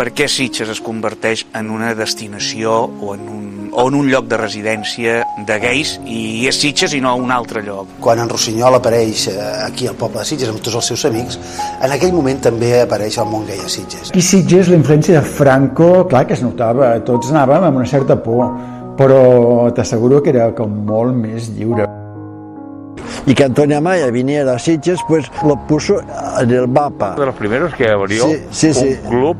per què Sitges es converteix en una destinació o en un lloc de residència de gais, i és Sitges i no un altre lloc. Quan en Rossinyol apareix aquí al poble de Sitges amb tots els seus amics, en aquell moment també apareix el món gai a Sitges. I Sitges, la influència de Franco, clar que es notava, tots anàvem amb una certa por, però t'asseguro que era com molt més lliure. Y que Antonio Amaya viniera a Sitges, pues lo puso en el mapa. De los primeros que abrió un club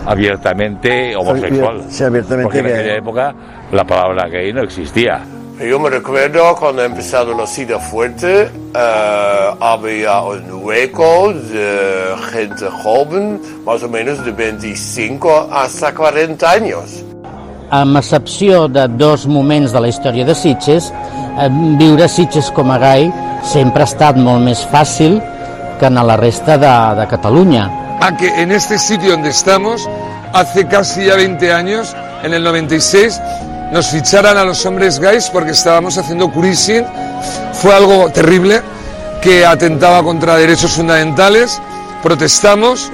abiertamente homosexual. Sí, abiertamente. Porque en aquella época la palabra gay no existía. Yo me recuerdo cuando empezaron los SIDA fuerte, había un hueco de gente joven, más o menos de 25 hasta 40 años. Amb excepció de dos moments de la història de Sitges, viure a Sitges com a gai sempre ha estat molt més fàcil que en la resta de Catalunya. A que en este sitio donde estamos, hace casi ya 20 años, en el 96, nos ficharan a los hombres gays porque estábamos haciendo cruising. Fue algo terrible que atentaba contra derechos fundamentales. Protestamos.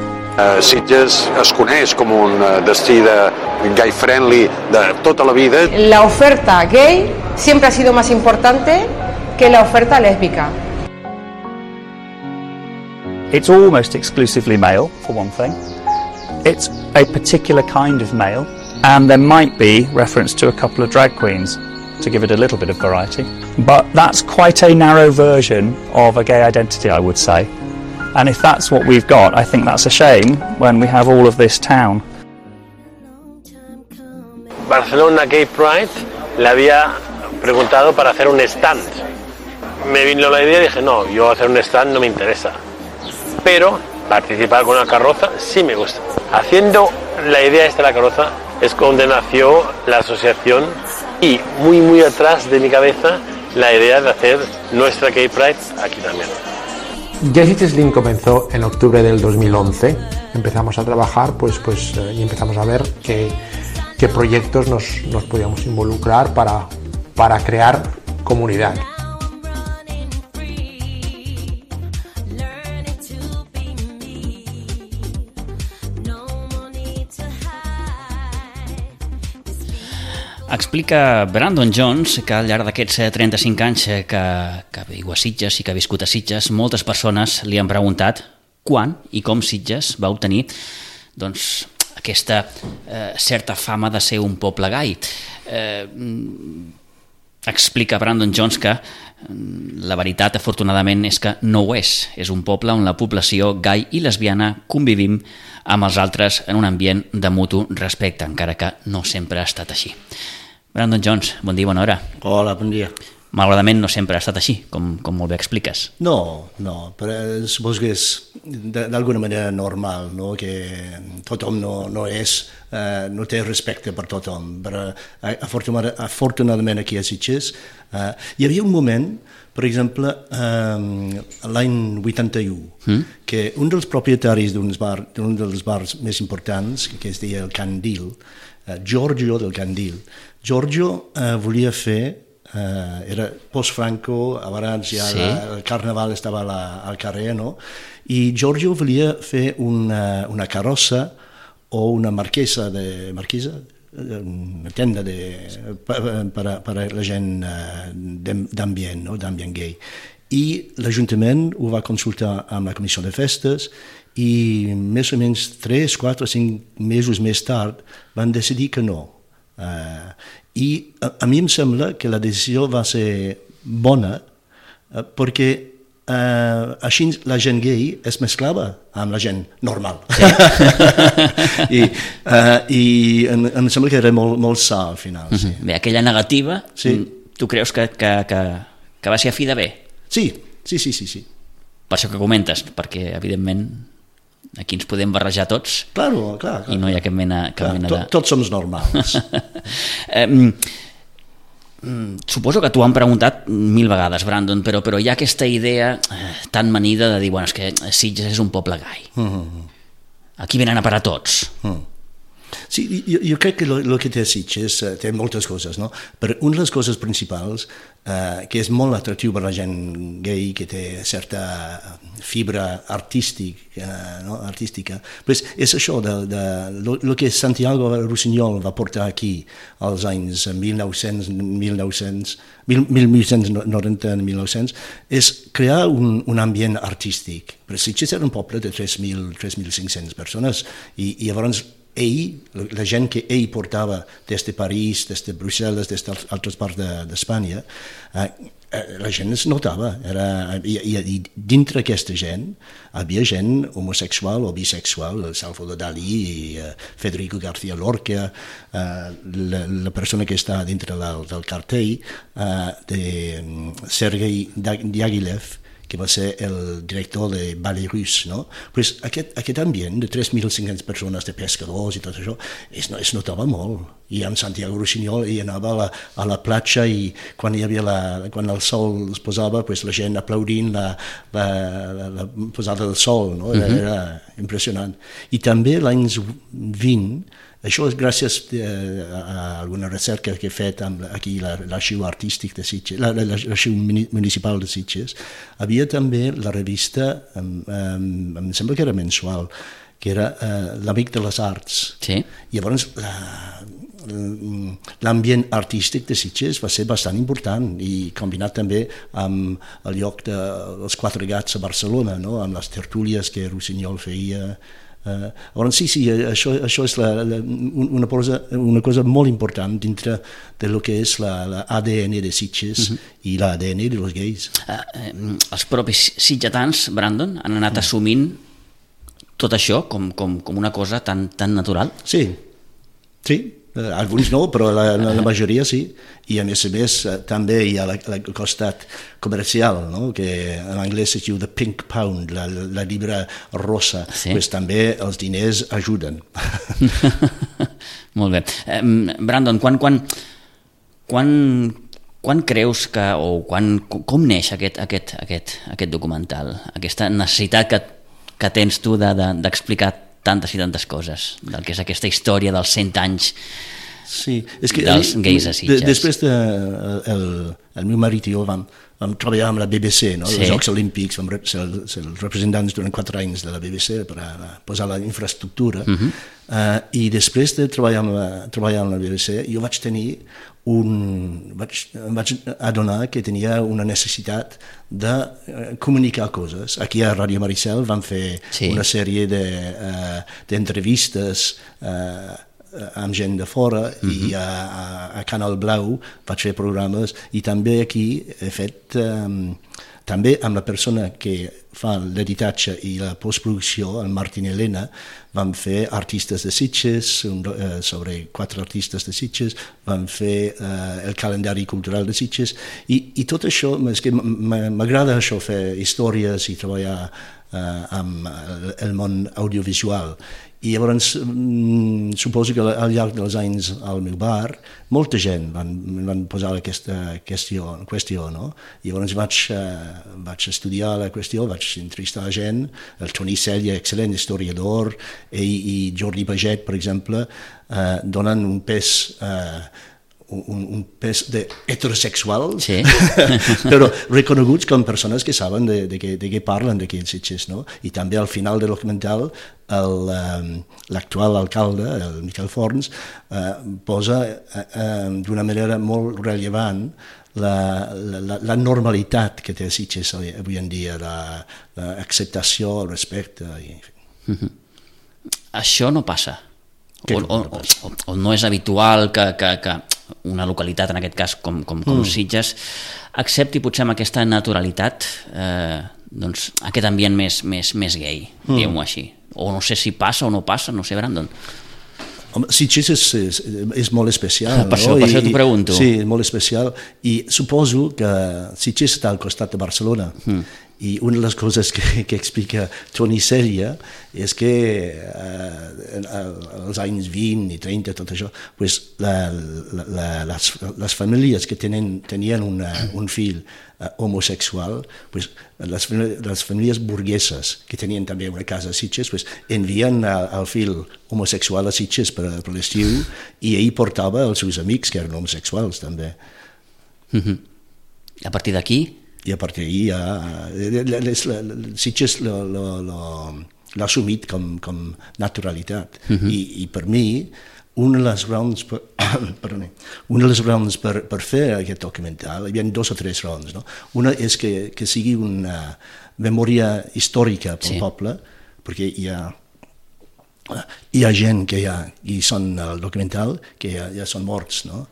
Sitges es coneix com un destí de gay friendly de tota la vida. La oferta gay siempre ha sido más importante que la oferta lésbica. It's almost exclusively male, for one thing. It's a particular kind of male, and there might be reference to a couple of drag queens to give it a little bit of variety. But that's quite a narrow version of a gay identity, I would say. And if that's what we've got, I think that's a shame when we have all of this town. Barcelona Gay Pride le había preguntado para hacer un stand. Me vino la idea y dije, no, yo hacer un stand no me interesa. Pero participar con una carroza sí me gusta. Haciendo la idea esta de la carroza es donde nació la asociación y muy atrás de mi cabeza la idea de hacer nuestra Gay Pride aquí también. Ya Sitges Link comenzó en octubre del 2011. Empezamos a trabajar y empezamos a ver qué proyectos nos podíamos involucrar para crear comunidad. Explica Brandon Jones que al llarg d'aquests 35 anys que viu a Sitges i que ha viscut a Sitges, moltes persones li han preguntat quan i com Sitges va obtenir aquesta certa fama de ser un poble gai. Explica Brandon Jones que la veritat, afortunadament, és que no ho és. És un poble on la població gai i lesbiana convivim amb els altres en un ambient de mutu respecte, encara que no sempre ha estat així. Brandon Jones, bon dia, bona hora. Hola, bon dia. Malauradament no sempre ha estat així, com molt bé expliques. No, però suposo que és d'alguna manera normal, no? Que tothom no té respecte per tothom, però afortunadament aquí a Sitges hi havia un moment, per exemple, l'any 81, que un dels propietaris d'un dels bars més importants, que es deia el Candil, Giorgio del Candil, Giorgio volia fer, era post-Franco, abans ja el carnaval estava al carrer, no? I Giorgio volia fer una carrossa o una marquesa, una tenda per a la gent d'ambient, no? D'ambient gay. I l'Ajuntament ho va consultar amb la Comissió de Festes i més o menys 3, 4, 5 mesos més tard van decidir que no. I a mi em sembla que la decisió va ser bona perquè així la gent gay es mesclava amb la gent normal. Sí. I em sembla que era molt sa al final. Sí. Bé, aquella negativa, tu creus que va ser a fi de bé? Sí. Per això que comentes, perquè evidentment aquí ens podem barrejar tots. Clar. I no hi ha cap mena de... Tots som normals. Suposo que t'ho han preguntat 1000 vegades, Brandon, però hi ha aquesta idea tan manida de dir, bueno, és que Sitges és un poble gai. Aquí venen a parar tots. Sí, jo crec que el que té Sitges té moltes coses, no? Però una de les coses principals, que és molt atractiu per la gent gay, que té certa fibra artística, pues és això, el que Santiago Rusiñol va portar aquí als anys 1890-1900, és crear un ambient artístic. Però Sitges era un poble de 3.500 persones i llavors la gent que ell portava des de París, des de Brussel·les, des d'altres parts d'Espanya, la gent es notava. I dintre aquesta gent hi havia gent homosexual o bisexual, Salvador Dalí, Federico García Lorca, la persona que està dintre del cartell, de Sergei Diaghilev, que va ser el director de Ballet Russe, no? Pues aquest ambient de 3.500 persones, de pescadors i tot això, es notava molt. I amb Santiago Rusiñol ell anava a la platja i quan el sol es posava, pues, la gent aplaudint la posada del sol, no? Era impressionant. I també l'any 20, això és gràcies a alguna recerca que he fet aquí l'arxiu artístic de Sitges, l'arxiu municipal de Sitges. Havia també la revista, em sembla que era mensual, que era l'Amic de les Arts. Sí. I llavors l'ambient artístic de Sitges va ser bastant important i combinat també amb el lloc dels Quatre Gats a Barcelona, no? Amb les tertúlies que Rusiñol feia. Sí, això és una cosa molt important dintre de lo que és l'ADN de Sitges i l'ADN de los gais. Els propis sitgetans, Brandon, han anat assumint tot això com una cosa tan natural? Sí, alguns no, però la majoria sí. I a més també hi ha el costat comercial, no? Que en anglès es diu the pink pound, la llibre rossa. Sí. Pues també els diners ajuden. Molt bé. Brandon, quan creus que, o com neix aquest documental? Aquesta necessitat que tens tu d'explicar tantes i tantes coses, del que és aquesta història dels 100 anys dels gais a Sitges. Després el meu marit i jo vam treballar amb la BBC, no? Els Jocs Olímpics, vam ser els representants durant 4 anys de la BBC per posar la infraestructura, i després de treballar amb la BBC jo vaig adonar que tenia una necessitat de comunicar coses. Aquí a Ràdio Maricel vam fer una sèrie d'entrevistes amb gent de fora i a Canal Blau vaig fer programes i també aquí he fet també amb la persona que fa l'editatge i la postproducció, el Martín Elena, vam fer artistes de Sitges, sobre 4 artistes de Sitges, vam fer el calendari cultural de Sitges i tot això, és que m'agrada això, fer històries i treballar amb el món audiovisual. I llavors suposo que al llarg dels anys al meu bar molta gent van posar aquesta qüestió, no? I llavors vaig estudiar la qüestió, vaig entrevistar gent, el Toni Cella, excel·lent historiador, i Jordi Paget, per exemple, donen un pes heterosexual, però reconeguts com persones que saben de què parlen d'aquí en Sitges, no? I també al final del documental l'actual alcalde, el Miquel Forns, posa d'una manera molt rellevant la normalitat que té Sitges avui en dia, l'acceptació, el respecte. Això no passa? O no és habitual que una localitat, en aquest cas com Sitges, accepti potser amb aquesta naturalitat aquest ambient més gay, diguem-ho així? O no sé si passa o no passa, no sé, Brandon. Sitges és molt especial. Per això t'ho pregunto. Sí, és molt especial. I suposo que Sitges està al costat de Barcelona I una de les coses que explica Toni Cella és que als anys 20 i 30, tot això, pues, les famílies que tenien un fill homosexual, pues, les famílies burgueses que tenien també una casa a Sitges, pues, envien el fill homosexual a Sitges per l'estiu i ell portava els seus amics que eren homosexuals també. A partir d'aquí? I a partir d'ahir Sitges l'ha assumit com naturalitat. I per mi, una de les raons per fer aquest documental, hi havia 2 o 3 raons. No? Una és que sigui una memòria històrica pel poble, perquè hi ha gent que hi són al documental que ja són morts, no?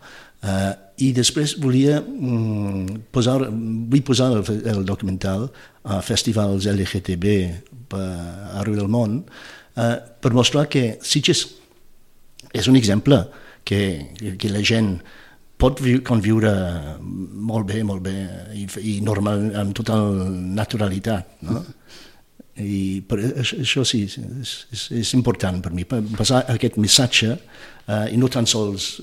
I després vull posar el documental a festivals LGTB arreu del món per mostrar que Sitges és un exemple que la gent pot conviure molt bé i normal, amb total naturalitat, no? I això sí, és important per mi, passar aquest missatge i no tan sols,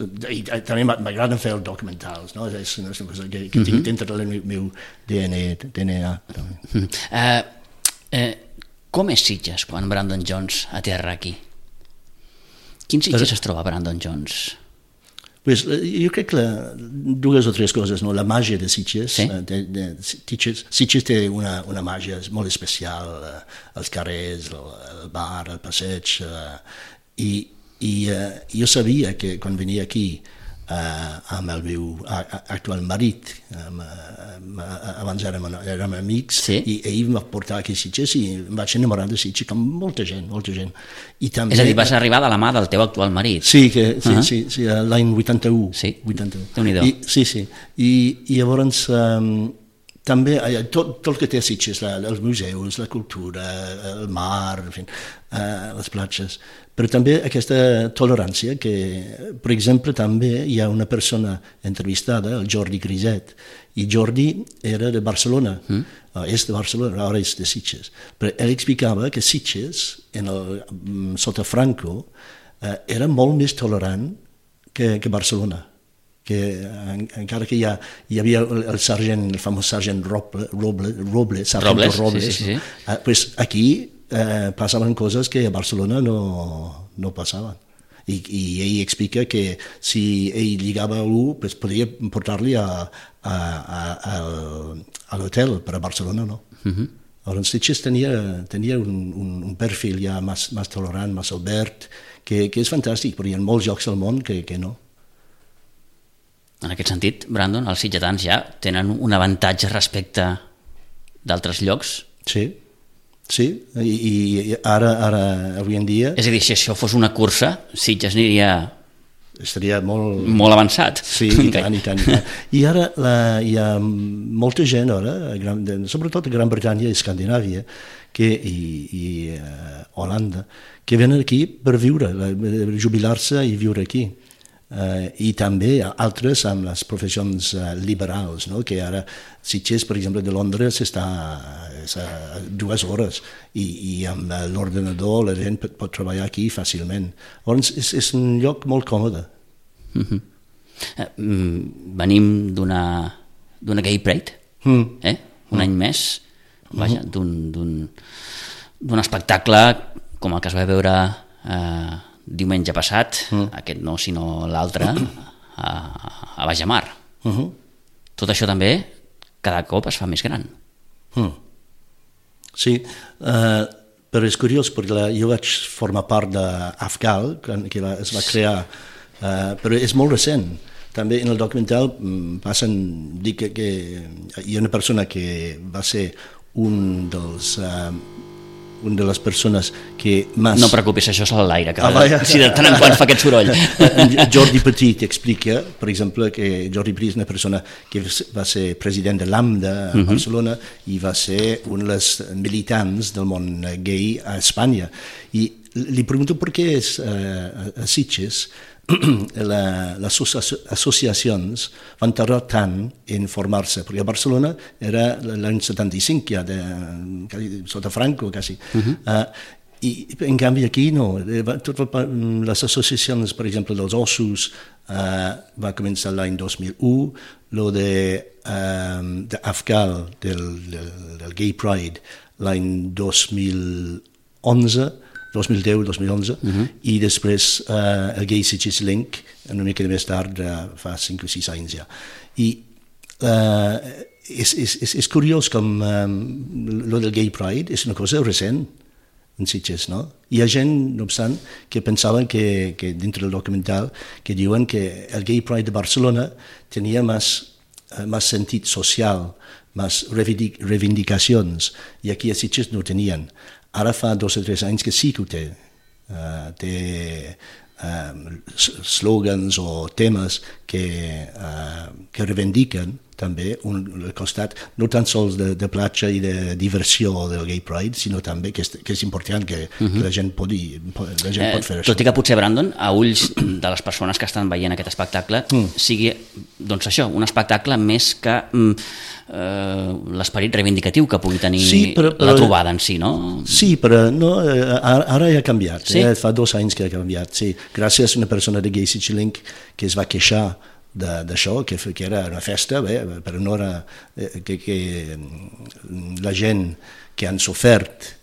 també m'agrada fer els documentals, no? És una cosa que tinc dintre del meu DNA. Com és Sitges quan Brandon Jones aterra aquí? Quin Sitges es troba Brandon Jones? Pues, jo crec que 2 o 3 coses, no? La màgia de Sitges. Sitges té una màgia molt especial, els carrers, el bar, el passeig, i jo sabia que quan venia aquí amb el meu actual marit, abans érem amics, i ell em va portar aquí a Sitges i em vaig enamorar de Sitges com molta gent. I també, és a dir, vas arribar de la mà del teu actual marit. Sí, l'any 81. Sí, Déu-n'hi-do. Sí. I llavors també tot el que té a Sitges, els museus, la cultura, el mar, en fi, les platges, però també aquesta tolerància que, per exemple, també hi ha una persona entrevistada, el Jordi Griset, i Jordi era de Barcelona, és de Barcelona, ara és de Sitges, però ell explicava que Sitges, sota Franco, era molt més tolerant que Barcelona, que encara que hi havia el famós sergent Robles, pues aquí passaven coses que a Barcelona no passaven. I ell explica que si ell lligava a algú, pues podia portar-li a l'hotel, però a Barcelona no. Llavors Sitges tenia un perfil ja més tolerant, més obert, que és fantàstic, però hi ha molts llocs al món que no. En aquest sentit, Brandon, els sitgetans ja tenen un avantatge respecte d'altres llocs? Sí, i ara, avui en dia... És a dir, si això fos una cursa, Sitges estaria molt avançat. Sí, i tant. I ara hi ha molta gent, sobretot a Gran Bretanya i Escandinàvia, i Holanda, que venen aquí per viure, jubilar-se i viure aquí. I també altres amb les professions liberals, no? Que ara Sitges, per exemple, de Londres està a 2 hores i amb l'ordenador la gent pot treballar aquí fàcilment. Llavors és un lloc molt còmode. Venim d'una Gay Pride, un any més, vaja, d'un espectacle com el que es va veure diumenge passat, aquest no, sinó l'altre, a Bajamar. Tot això també cada cop es fa més gran. Sí, però és curiós perquè jo vaig formar part d'Afgal, que es va crear, però és molt recent. També en el documental dic que hi ha una persona que va ser una de les persones que més... No preocupis, això és a l'aire, si de tant en quant fa aquest soroll. Jordi Petit explica, per exemple, que Jordi Petit és una persona que va ser president de l'AMDA a Barcelona i va ser un dels militants del món gay a Espanya. I li pregunto per què a Sitges les associacions van tardar tant en formar-se, perquè a Barcelona era l'any 75 ja, sota Franco quasi. I en canvi aquí no, les associacions, per exemple, dels ossos va començar l'any 2001, lo d'Afgal, del Gay Pride, l'any 2010, 2011, i després el Gay Sitges Link, una mica més tard, fa 5 o 6 anys ja. I és curiós com lo del Gay Pride és una cosa recent en Sitges, no? Hi ha gent, no obstant, que pensaven que dintre del documental, que diuen que el Gay Pride de Barcelona tenia més sentit social, més reivindicacions, i aquí a Sitges no tenien. Ara fa 2 o 3 anys que sí que ho té. Té slogans o temes que reivindiquen també el costat no tan sols de platja i de diversió del Gay Pride, sinó també que és important que la gent pot fer això. Tot i que potser, Brandon, a ulls de les persones que estan veient aquest espectacle, sigui doncs això, un espectacle més que l'esperit reivindicatiu que pugui tenir la trobada en si, no? Sí, però ara ja ha canviat, fa 2 anys que ha canviat, sí, gràcies a una persona de Gay Sitges Link que es va queixar d'això, que era una festa, però no era que la gent que han sofert...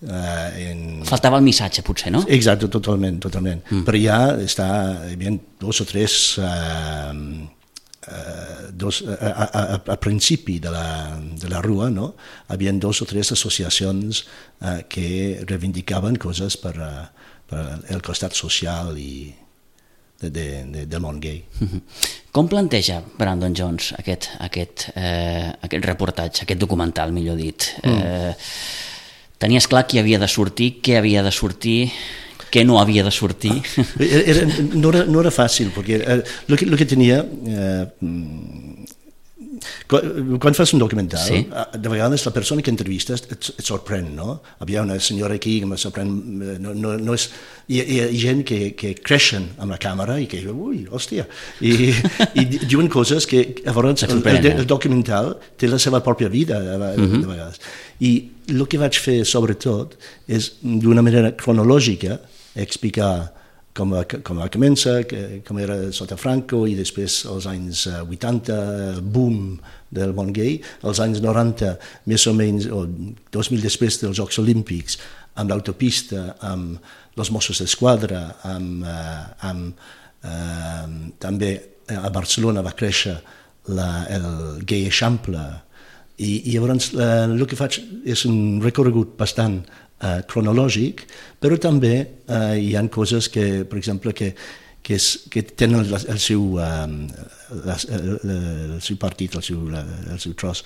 Faltava el missatge, potser, no? Exacte, totalment. Però ja hi havia 2 o 3... a principi de la rua, no? Hi havia 2 o 3 associacions que reivindicaven coses per el costat social i del món gay. Com planteja Brandon Jones aquest reportatge, aquest documental, millor dit? Tenies clar qui havia de sortir, què havia de sortir, què no havia de sortir? No era fàcil, perquè el que tenia... Quan fas un documental, de vegades la persona que entrevistes et sorprèn, no? Hi ha una senyora aquí que me sorprèn, hi ha gent que creixen amb la càmera i que diuen, ui, hòstia, i diuen coses que el documental té la seva pròpia vida de vegades. I el que vaig fer sobretot és d'una manera cronològica explicar com va començar, com era sota Franco i després els anys 80, boom del món gay, els anys 90, més o menys, o 2000 després dels Jocs Olímpics, amb l'autopista, amb els Mossos d'Esquadra, també a Barcelona va créixer el Gay Eixample, i llavors el que faig és un recorregut bastant cronològic, però també hi ha coses que, per exemple, que tenen el seu partit, el seu tros,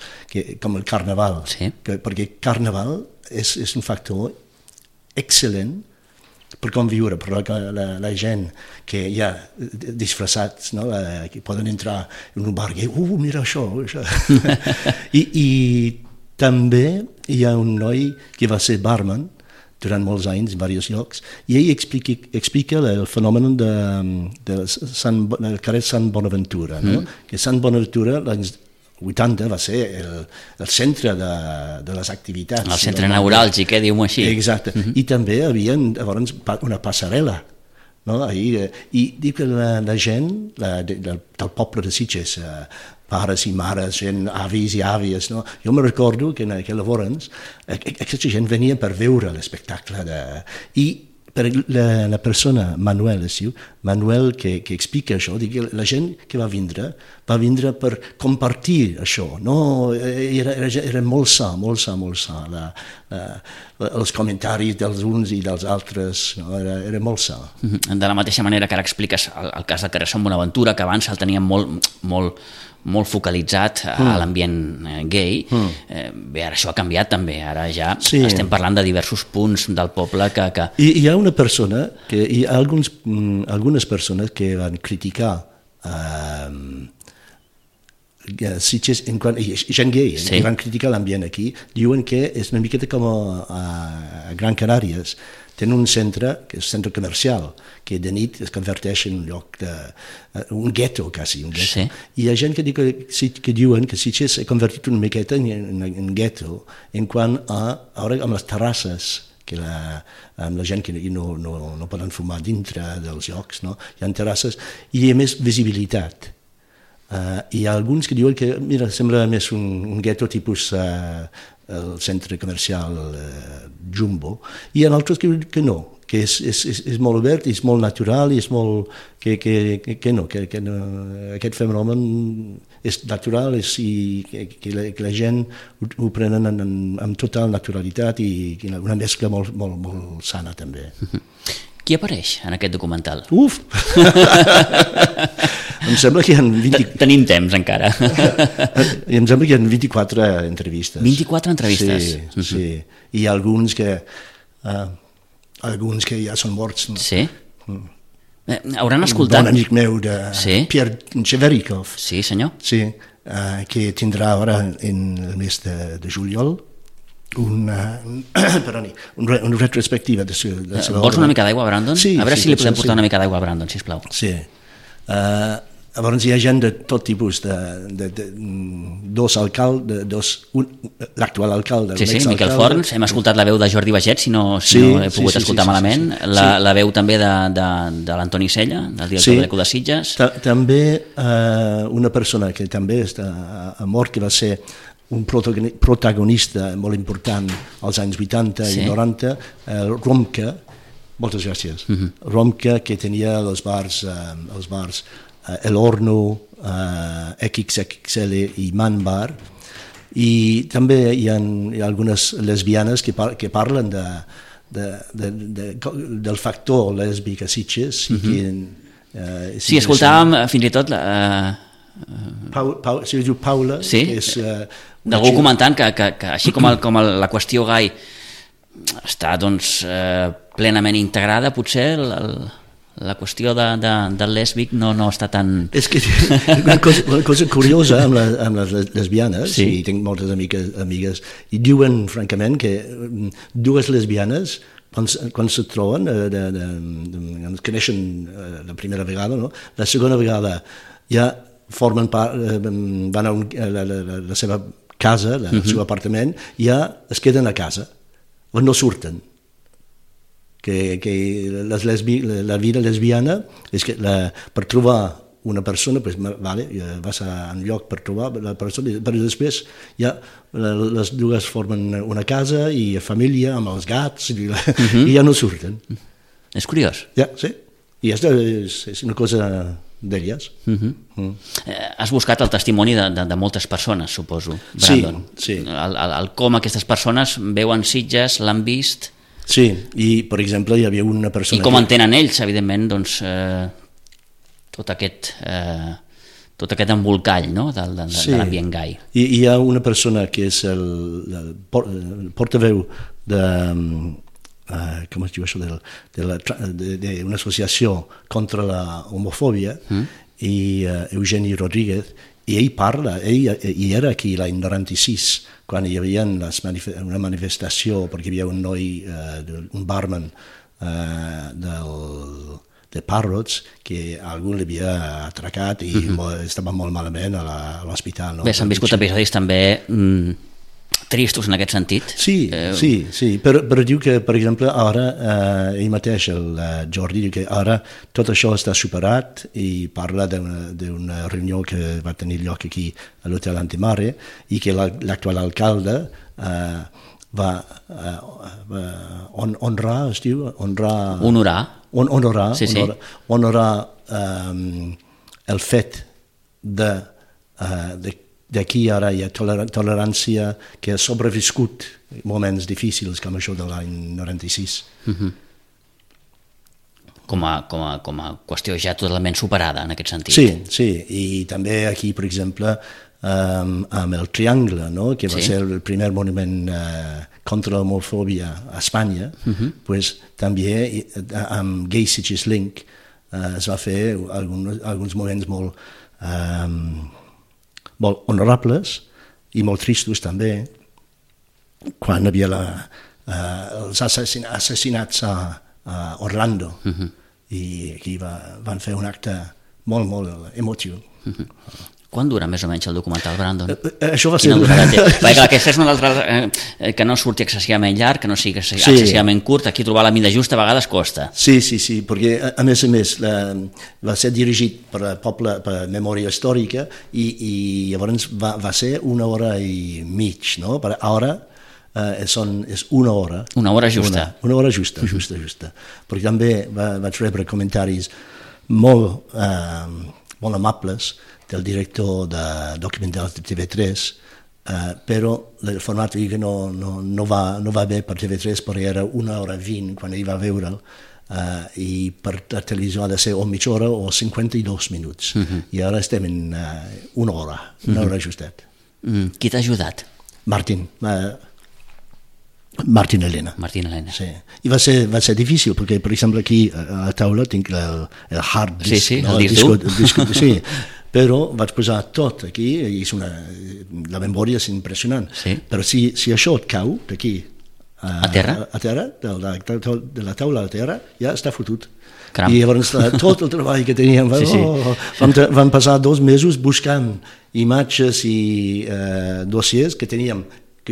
com el carnaval, perquè carnaval és un factor excel·lent per conviure, per la gent que hi ha disfressats, que poden entrar en un bar i mira això. I també hi ha un noi que va ser barman durant molts anys en diversos llocs i ell explica el fenomen del carrer Sant Bonaventura, que Sant Bonaventura l'any 80 va ser el centre de les activitats. El centre neuràlgic, diu-m'ho així. Exacte, i també hi havia una passarel·la. I dic que la gent del poble de Sitges, pares i mares, gent, avis i àvies, jo me recordo que llavors aquesta gent venia per veure l'espectacle i per la persona, Manuel es diu, Manuel que explica això, la gent que va vindre per compartir això, era molt sa, els comentaris dels uns i dels altres, era molt sa. De la mateixa manera que ara expliques el cas del carrer Sant Bonaventura, que abans el teníem molt focalitzat a l'ambient gay, bé, ara això ha canviat també, ara ja estem parlant de diversos punts del poble que... Hi ha una persona, hi ha algunes persones que van criticar Sitges, gent gay, que van criticar l'ambient aquí, diuen que és una miqueta com a Gran Canàries, tenen un centre, que és centre comercial, que de nit es converteix en un lloc un gueto, quasi, un gueto. Sí. I hi ha gent que diuen que Sitges s'ha convertit una miqueta en gueto en quant a, ara amb les terrasses, amb la gent que no poden fumar dintre dels llocs, no? Hi ha terrasses i hi ha més visibilitat. Hi ha alguns que diuen que, mira, sembla més un gueto tipus el centre comercial Jumbo, i hi ha altres que no, que és molt obert, és molt natural, i és molt... que no, aquest fenomen és natural i que la gent ho prenen amb total naturalitat i una mescla molt sana també. Qui apareix en aquest documental? Uf! Em sembla que hi ha 20... Tenim temps encara. Em sembla que hi ha 24 entrevistes. 24 entrevistes? Sí. I alguns que ja són morts. Sí? Hauran escoltat... Un bon amic meu de Pierre Cheverikov. Sí, senyor. Sí, que tindrà ara en el mes de juliol una retrospectiva de seva obra. Vols una mica d'aigua, Brandon? Sí. A veure si li podem portar una mica d'aigua a Brandon, sisplau. Sí. Llavors hi ha gent de tot tipus, l'actual alcalde, sí, Miquel Forns, hem escoltat la veu de Jordi Baget, si no he pogut escoltar malament, la veu també de l'Antoni Sella, del director de l'Eco de Sitges. També una persona que també ha mort, que va ser un protagonista molt important als anys 80 i 90, Romka, moltes gràcies, Romka, que tenia els bars El Horno, XXL i Man Bar, i també hi ha algunes lesbianes que parlen del factor lèsbic a Sitges. Sí, escoltàvem fins i tot si diu Paula, que és... d'algú comentant que així com la qüestió gai està plenament integrada, potser la qüestió del lèsbic no està tan... És que una cosa curiosa amb les lesbianes, i tinc moltes amigues, i diuen francament que dues lesbianes, quan se troben, es coneixen la primera vegada, la segona vegada ja formen part, van a la seva casa, el seu apartament, ja es queden a casa, no surten. Que la vida lesbiana és que per trobar una persona vas a un lloc per trobar la persona, però després ja les dues formen una casa i família amb els gats i ja no surten. És curiós. Ja, sí, i és una cosa d'elles. Has buscat el testimoni de moltes persones, suposo, Brandon. Sí. Com aquestes persones veuen Sitges, l'han vist... Sí, i per exemple hi havia una persona... I com entenen ells, evidentment, tot aquest embolcall de l'ambient gai. I hi ha una persona que és el portaveu com es diu això, d'una associació contra la homofòbia, i Eugeni Rodríguez, i ell parla, ell era aquí l'any 96, quan hi havia una manifestació, perquè hi havia un noi, un barman de Parrots, que algú l'havia atracat i estava molt malament a l'hospital. Bé, s'han viscut episodis també tristos en aquest sentit. Sí, però diu que, per exemple, ara, ell mateix, el Jordi, diu que ara tot això està superat, i parla d'una reunió que va tenir lloc aquí a l'Hotel Antimare, i que l'actual alcalde va honrar, es diu? Honorar el fet d'aquí ara hi ha tolerància, que ha sobreviscut moments difícils com això de l'any 96. Com a qüestió ja totalment superada en aquest sentit. Sí, i també aquí, per exemple, amb el Triangle, que va ser el primer monument contra l'homofòbia a Espanya, també amb Gay Sitges Link es va fer alguns moments molt honorables i molt tristos també, quan hi havia els assassinats a Orlando, i aquí van fer un acte molt, molt emotiu. Quan dura més o menys el documental, Brandon? Això va ser... Perquè aquesta és una altra... que no surti excessivament llarg, que no sigui excessivament curt, aquí trobar la mida justa a vegades costa. Sí, perquè a més va ser dirigit per poble, per Memòria Històrica, i llavors va ser 1 hora i mig, no? Per ara és 1 hora. 1 hora justa. 1 hora justa. Perquè també vaig rebre comentaris molt amables del director de documentals de TV3, però el format no va bé per TV3 perquè era 1 hora 20 quan ell va veure'l, i per la televisió ha de ser o mitja hora o 52 minuts. I ara estem en 1 hora, 1 hora justet. Qui t'ha ajudat? Martín Elena. Sí. I va ser difícil, perquè, per exemple, aquí a la taula tinc el hard disk. Sí, el disc dur. Sí, però vaig posar tot aquí, i la memòria és impressionant. Però si això et cau d'aquí a terra, de la taula a la terra, ja està fotut. Caram. I llavors tot el treball que teníem, van passar 2 mesos buscant imatges i dossiers que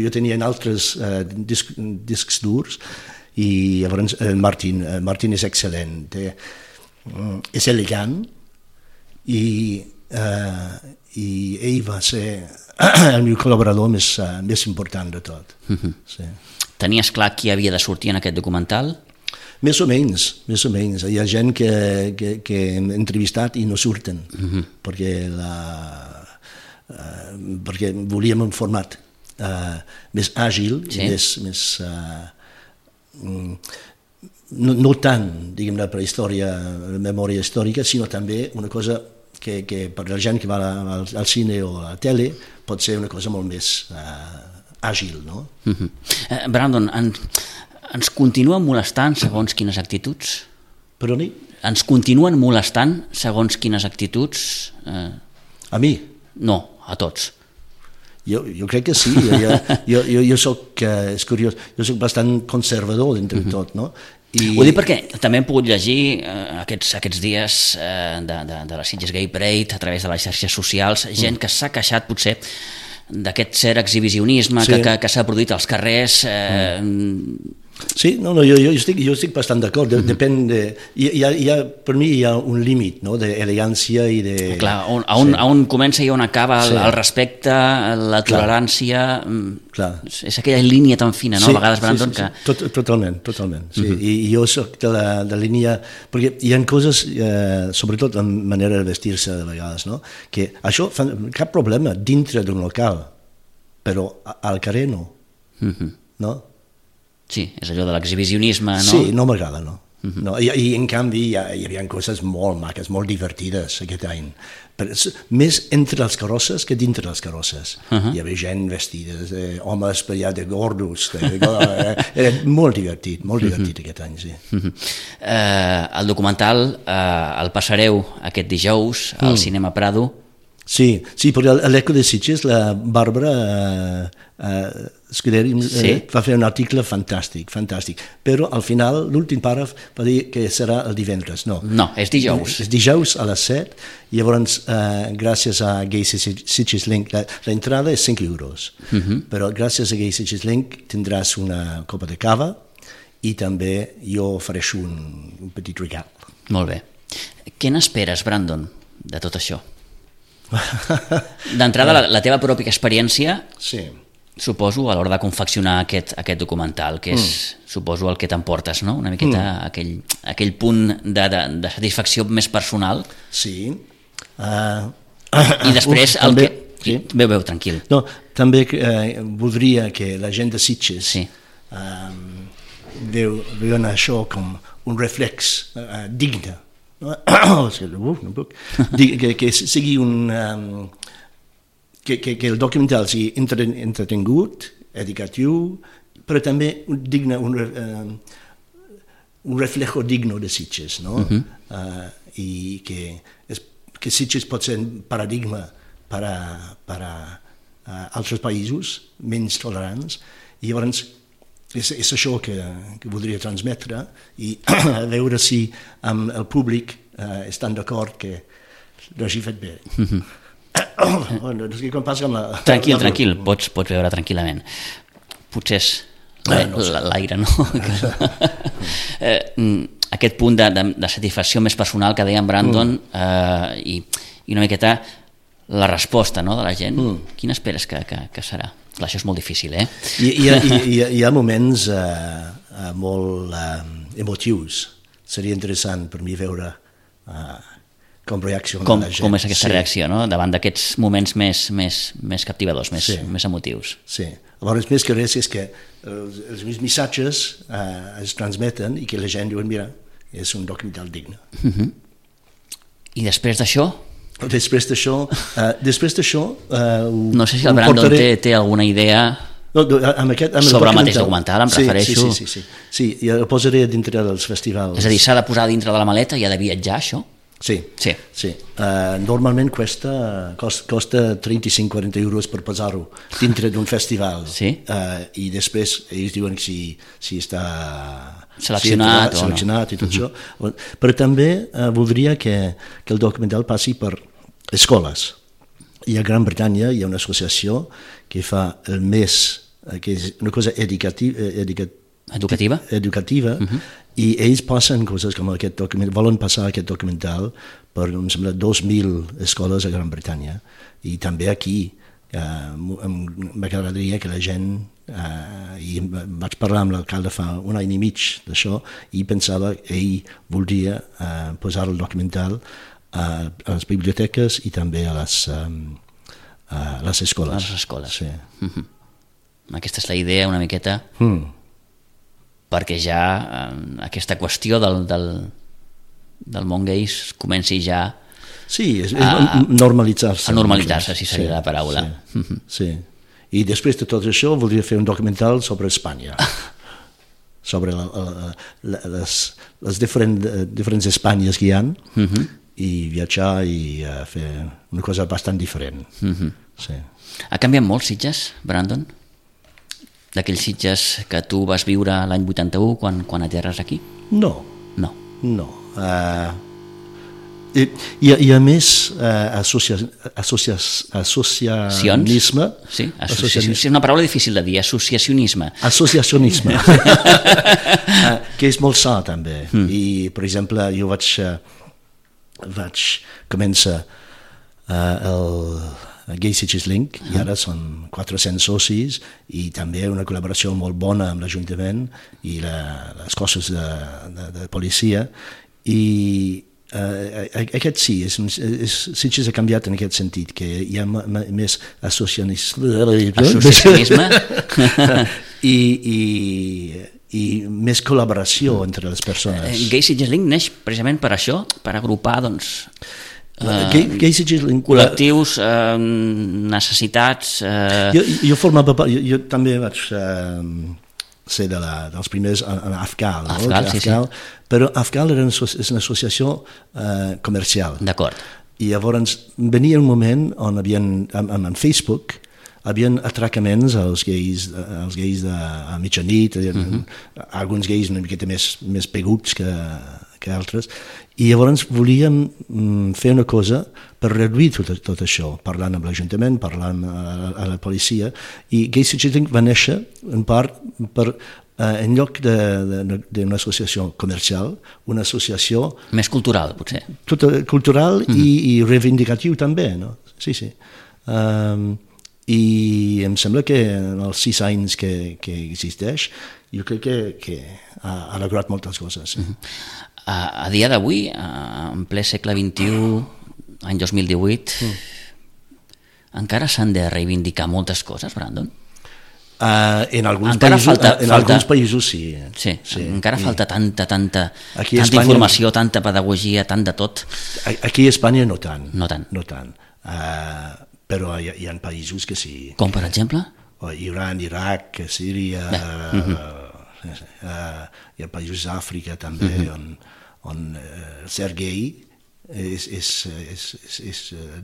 jo tenia en altres discs durs, i llavors Martín és excel·lent, és elegant, i ell va ser el meu col·laborador més important de tot. Tenies clar qui havia de sortir en aquest documental? Més o menys. Hi ha gent que hem entrevistat i no surten, perquè volíem un format més àgil, més no tant, diguem-ne, per història, memòria històrica, sinó també una cosa que per la gent que va al cine o a la tele pot ser una cosa molt més àgil, no? Brandon, ens continuen molestant segons quines actituds? Perdoni? Ens continuen molestant segons quines actituds? A mi? No, a tots. Jo crec que sí, jo soc, és curiós, jo soc bastant conservador d'entre tot, no? Ho dic perquè també hem pogut llegir aquests dies de la Sitges Gay Parade a través de les xarxes socials, gent que s'ha queixat potser d'aquest cert exhibicionisme que s'ha produït als carrers. Sí, jo estic bastant d'acord, depèn de... Per mi hi ha un límit d'elegància i de... Clar, on comença i on acaba el respecte, la tolerància... És aquella línia tan fina, no? A vegades, Brandon, que... Totalment. I jo soc de la línia... Perquè hi ha coses, sobretot en manera de vestir-se de vegades, no? Que això fa cap problema dintre d'un local, però al carrer no. No? Sí, és allò de l'exhibicionisme, no? Sí, no m'agrada, no. I en canvi hi havia coses molt maques, molt divertides aquest any. Més entre les carrosses que dintre les carrosses. Hi havia gent vestides, homes de gordos. Era molt divertit aquest any, sí. El documental el passareu aquest dijous al Cinema Prado. Sí, perquè a l'Eco de Sitges la Bàrbara Scuderi va fer un article fantàstic, però al final l'últim pàrraf va dir que serà el divendres. No, és dijous. És dijous a les 7, i llavors gràcies a Gay Sitges Link l'entrada és 5 euros, però gràcies a Gay Sitges Link tindràs una copa de cava i també jo ofereixo un petit regal. Molt bé. Què n'esperes, Brandon, de tot això? D'entrada, la teva pròpia experiència, suposo, a l'hora de confeccionar aquest documental, que és, suposo, el que t'emportes, no? Una miqueta aquell punt de satisfacció més personal. Sí. I després el que... Veu, tranquil. No, també voldria que la gent de Sitges veuen això com un reflex digne, que sigui que el documental sigui entretingut, educatiu, però també un reflejo digno de Sitges, no? I que Sitges pot ser un paradigma per a altres països menys tolerants, i llavors és això que voldria transmetre i a veure si amb el públic estan d'acord que no hagi fet bé. Tranquil, pots veure tranquil·lament. Potser és l'aire, no? Aquest punt de satisfacció més personal que deia en Brandon i una miqueta la resposta de la gent, quina esperes que serà? Clar, això és molt difícil, eh? Hi ha moments molt emotius. Seria interessant per mi veure com reacciona la gent. Com és aquesta reacció, no? Davant d'aquests moments més captivadors, més emotius. Sí. Llavors, més que res és que els meus missatges es transmeten i que la gent diu, mira, és un documental digne. I després d'això? Després d'això... No sé si el Brandon té alguna idea sobre el mateix documental, em refereixo. Sí, i el posaré dintre dels festivals. És a dir, s'ha de posar dintre de la maleta i ha de viatjar, això? Sí. Normalment costa 35-40 euros per posar-ho dintre d'un festival. I després ells diuen si està seleccionat i tot això. Però també voldria que el documental passi per escoles. I a Gran Bretanya hi ha una associació que fa el mes, que és una cosa educativa, i ells passen coses com aquest documental, volen passar aquest documental per, em sembla, 2.000 escoles a Gran Bretanya. I també aquí m'agradaria que la gent, i vaig parlar amb l'alcalde fa un any i mig d'això, i pensava que ell voldria posar el documental a les biblioteques i també a les escoles. A les escoles. Aquesta és la idea una miqueta, perquè ja aquesta qüestió del món gais comenci ja a normalitzar-se. A normalitzar-se, si seria la paraula. Sí. I després de tot això voldria fer un documental sobre Espanya, sobre les diferents Espanyes que hi ha, i viatjar i fer una cosa bastant diferent. Ha canviat molt Sitges, Brandon? D'aquells Sitges que tu vas viure l'any 81 quan aterres aquí? No. Hi ha més associacionisme. Sí, és una paraula difícil de dir, associacionisme. Que és molt sa també. I, per exemple, jo vaig començar el Gay Sitges Link, i ara són 400 socis, i també una col·laboració molt bona amb l'Ajuntament i les cossos de policia, i aquest sí, Sitges ha canviat en aquest sentit, que hi ha més associacionisme i més col·laboració entre les persones. Gay Sitges Link neix precisament per això, per agrupar col·lectius, necessitats... Jo també vaig ser dels primers en AFCAL, però AFCAL és una associació comercial. D'acord. I llavors venia un moment on en Facebook havien atracaments als gais a mitjanit, alguns gais una miqueta més peguts que altres, i llavors volíem fer una cosa per reduir tot això, parlant amb l'Ajuntament, parlant a la policia, i Gay Sitges Link va néixer en part per, en lloc d'una associació comercial, una associació... Més cultural, potser. Cultural i reivindicatiu també, no? Sí. I em sembla que en els 6 anys que existeix, jo crec que ha alegrat moltes coses. A dia d'avui, en ple segle XXI, any 2018, encara s'han de reivindicar moltes coses, Brandon? En alguns països sí. Encara falta tanta informació, tanta pedagogia, tant de tot. Aquí a Espanya no tant. No tant. Però hi ha països que sí. Com per exemple? Iran, Iraq, Síria, hi ha països d'Àfrica també on ser gay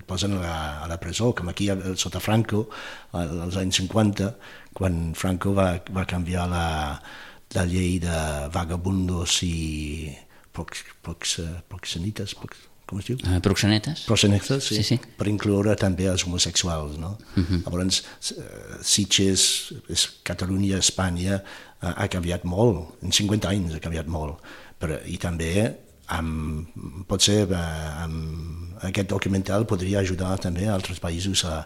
posen a la presó, com aquí sota Franco, als anys 50, quan Franco va canviar la llei de vagabundos i proxenetes, com es diu? Proxenetes. Proxenetes, sí. Per incloure també els homosexuals, no? Llavors, Sitges, Catalunya, Espanya, ha canviat molt, en 50 anys ha canviat molt, i també potser aquest documental podria ajudar també a altres països a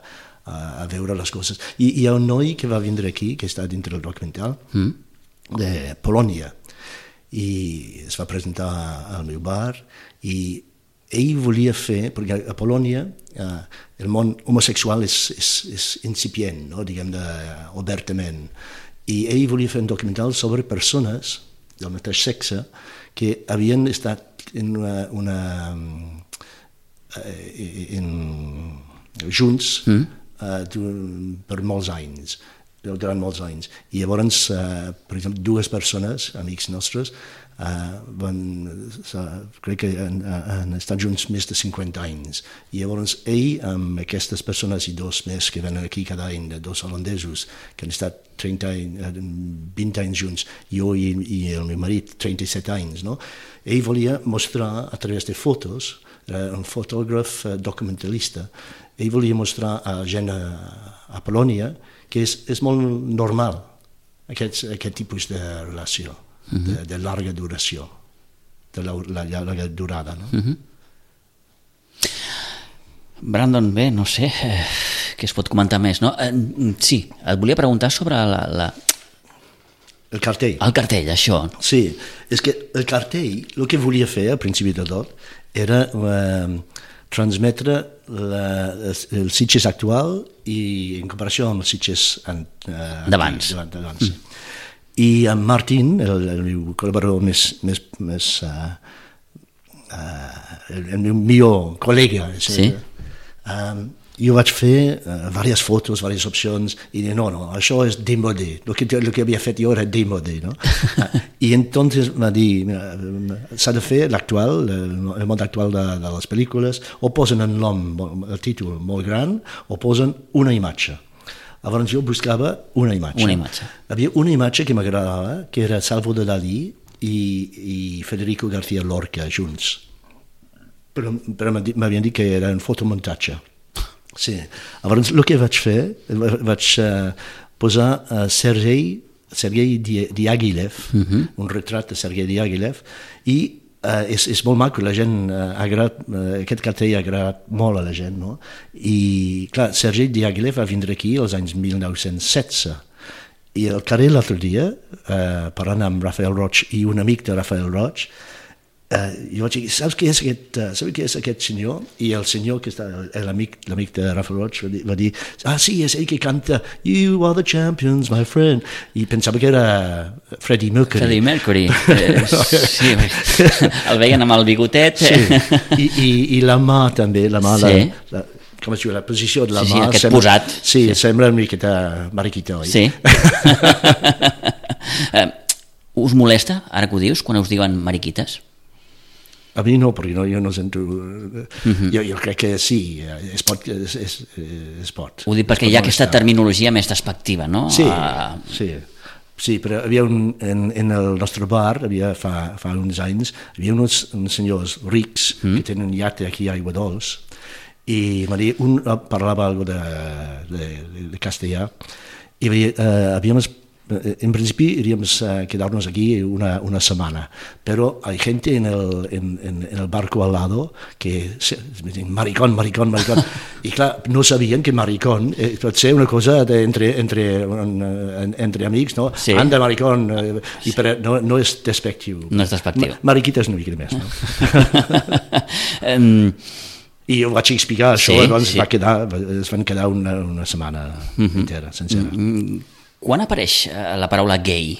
veure les coses. I hi ha un noi que va vindre aquí, que està dintre del documental, de Polònia, i es va presentar al meu bar, i ell volia fer, perquè a Polònia el món homosexual és incipient, no? Diguem-ne, obertament, i ell volia fer un documental sobre persones del mateix sexe que havien estat junts per molts anys, durant molts anys. I llavors, per exemple, dues persones, amics nostres, crec que han estat junts més de 50 anys. I llavors ell, amb aquestes persones i dos més que venen aquí cada any, dos holandesos, que han estat 20 anys junts, jo i el meu marit 37 anys, no? Ell volia mostrar a través de fotos, era un fotògraf documentalista, ell volia mostrar a gent a Polònia que és molt normal aquest tipus de relació, de llarga duració, de la llarga durada. No? Brandon, bé, no sé què es pot comentar més, no? Sí, et volia preguntar sobre el cartell. El cartell, això. Sí, és que el cartell, el que volia fer al principi de tot, era transmetre el Sitges actual i en comparació amb els Sitges d'abans. I en Martín, el meu col·laborador el meu millor col·lega, jo vaig fer diverses fotos, diverses opcions, i no, això és démodé, el que havia fet jo era démodé, no? I entonces va dir, s'ha de fer l'actual, el món actual de les pel·lícules, o posen el nom, el títol molt gran, o posen una imatge. Llavors jo buscava una imatge. Havia una imatge que m'agradava, que era Salvador Dalí i Federico García Lorca junts. Però m'havien dit que era un fotomuntatge. Sí. Llavors el que vaig fer, vaig posar Sergei Diaghilev, un retrat de Sergei Diaghilev, i és molt maco, la gent aquest cartell ha agradat molt a la gent, no? I clar, Sergei Diaghilev va vindre aquí als anys 1916 i al carrer l'altre dia, parlant amb Rafael Roig i un amic de Rafael Roig, jo vaig dir, saps què és aquest senyor? I el senyor que està, l'amic de Rafael Roig va dir, sí, és ell que canta You are the champions, my friend, i pensava que era Freddie Mercury. Sí, el veien amb el bigotet. I la mà també, com es diu, la posició de la mà, aquest posat. Sí, sembla una miqueta mariquita, oi? Sí. Us molesta, ara que ho dius, quan us diuen mariquites? A mi no, perquè jo no sento... Jo crec que sí, es pot. Ho dic perquè hi ha aquesta terminologia més despectiva, no? Sí, però havia en el nostre bar, fa uns anys, hi havia uns senyors rics que tenen un iate aquí a Aigua Dols, i un parlava algo de castellà, i havíamos... En principi iríamos a quedarnos aquí una semana, pero hay gente en el barco al lado que me dicen maricón, y claro, no sabían que maricón puede ser una cosa entre amics, no? Sí. Anda maricón, pero no és despectiu. No és despectiu. Mariquita és una mica més, no? I jo vaig explicar això, doncs es van quedar una setmana entera, sencera. Quan apareix la paraula gay?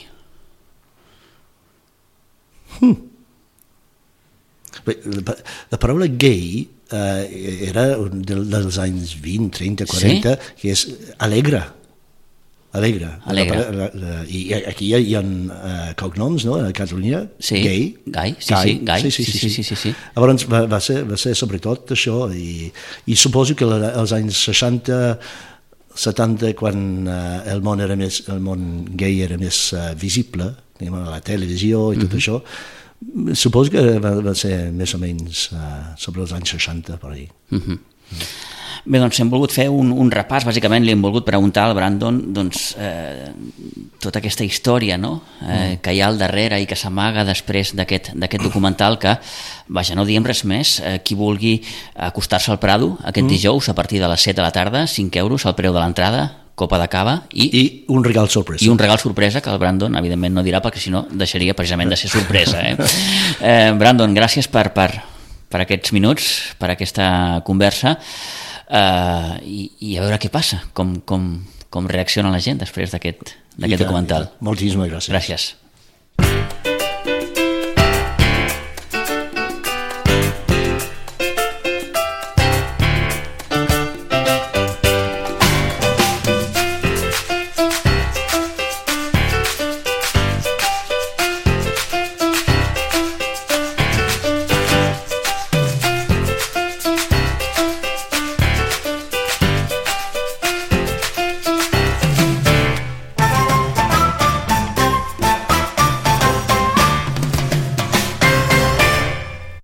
La paraula gay era dels anys 20, 30, 40, que és alegre. Alegre. I aquí hi ha cognoms, no?, a Catalunya. Sí, Gai. Sí. Llavors va ser sobretot això, i suposo que als anys 60-70, quan el món gay era més visible, a la televisió i tot això, suposo que va ser més o menys sobre els anys 60, per ahí. Bé, doncs hem volgut fer un repàs, bàsicament li hem volgut preguntar al Brandon tota aquesta història que hi ha al darrere i que s'amaga després d'aquest documental, que, vaja, no diem res més, qui vulgui acostar-se al Prado aquest dijous a partir de les 7 de la tarda, 5 euros al preu de l'entrada, copa de cava i un regal sorpresa. I un regal sorpresa que el Brandon evidentment no dirà, perquè si no deixaria precisament de ser sorpresa. Brandon, gràcies per aquests minuts, per aquesta conversa, i a veure què passa, com reacciona la gent després d'aquest documental. Moltíssimes gràcies. Gràcies.